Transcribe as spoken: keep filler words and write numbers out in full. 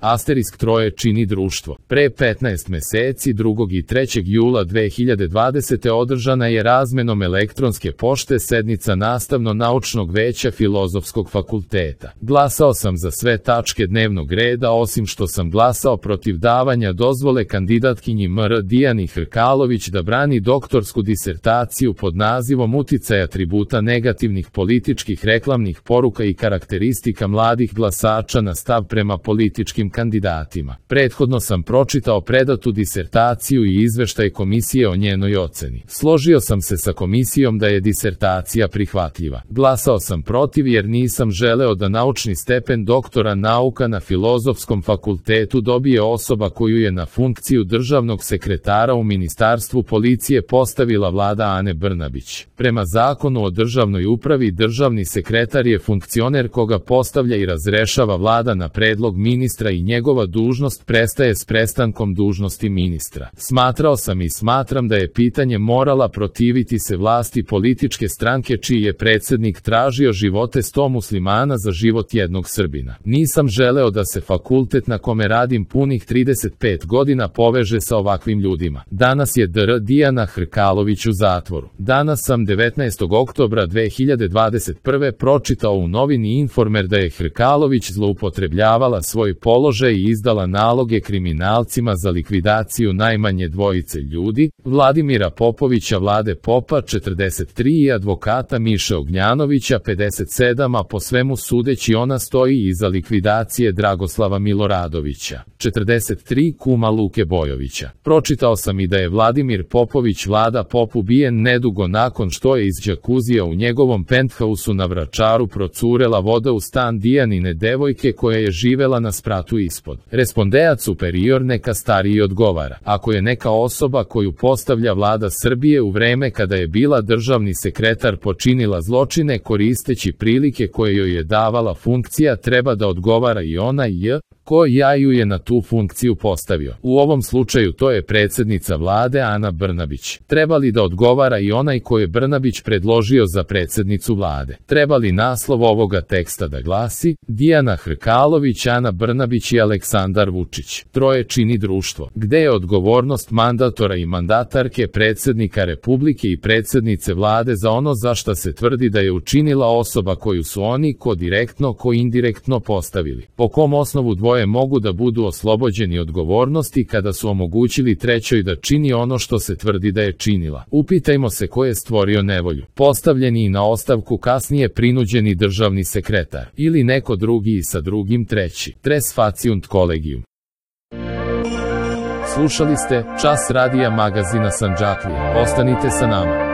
Asterisk troje čini društvo. Pre petnaest meseci, drugog i trećeg jula dve hiljade dvadesete. održana je razmenom elektronske pošte sednica Nastavno-naučnog veća Filozofskog fakulteta. Glasao sam za sve tačke dnevnog reda, osim što sam glasao protiv davanja dozvole kandidatkinji M R Dijani Hrkalović da brani doktorsku disertaciju pod nazivom Uticaj atributa negativnih političkih reklamnih poruka i karakteristika mladih glasača na stav prema političkim kandidatima. Prethodno sam pročitao predatu disertaciju i izveštaj komisije o njenoj oceni. Složio sam se sa komisijom da je disertacija prihvatljiva. Glasao sam protiv jer nisam želeo da naučni stepen doktora nauka na Filozofskom fakultetu dobije osoba koju je na funkciju državnog sekretara u Ministarstvu policije postavila vlada Ane Brnabić. Prema zakonu o državnoj upravi, državni sekretar je funkcioner koga postavlja i razrešava vlada na predlog ministra i njegova dužnost prestaje s prestankom dužnosti ministra. Smatrao sam i smatram da je pitanje morala protiviti se vlasti političke stranke čiji je predsednik tražio živote sto muslimana za život jednog Srbina. Nisam želeo da se fakultet na kome radim punih trideset pet godina poveže sa ovakvim ljudima. Danas je dr Dijana Hrkalović u zatvoru. Danas sam devetnaestog oktobra dve hiljade dvadeset prve. pročitao u novini Informer da je Hrkalović zloupotrebljavala svoj položaj i izdala naloge kriminalcima za likvidaciju najmanje dvojice ljudi, Vladimira Popovića Vlade Popa četrdeset tri i advokata Miše Ognjanovića pedeset sedam, a po svemu sudeći ona stoji iza likvidacije Dragoslava Miloradovića četrdeset tri, kuma Luke Bojovića. Pročitao sam i da je Vladimir Popović Vlada Pop ubijen nedugo nakon što je iz džakuzija u njegovom penthausu na Vračaru procurela voda u stan Dijanine devojke koja je živela na spratu ispod. Respondeat superior neka stariji odgovara. Ako je neka osoba koju postavlja vlada Srbije u vreme kada je bila državni sekretar počinila zločine koristeći prilike koje joj je davala funkcija, treba da odgovara i ona j. ko ja ju je na tu funkciju postavio. U ovom slučaju to je predsednica vlade Ana Brnabić. Treba li da odgovara i onaj ko je Brnabić predložio za predsednicu vlade? Treba li naslov ovoga teksta da glasi Dijana Hrkalović, Ana Brnabić i Aleksandar Vučić? Troje čini društvo. Gde je odgovornost mandatora i mandatarke, predsednika Republike i predsednice vlade za ono za šta se tvrdi da je učinila osoba koju su oni ko direktno, ko indirektno postavili? Po kom osnovu dvoje mogu da budu oslobođeni odgovornosti kada su omogućili trećoj da čini ono što se tvrdi da je činila? Upitajmo se ko je stvorio nevolju. Postavljeni i na ostavku kasnije prinuđeni državni sekretar ili neko drugi i sa drugim treći. Tres faciunt collegium. Slušali ste Čas radija magazina Sandžaklija. Ostanite sa nama.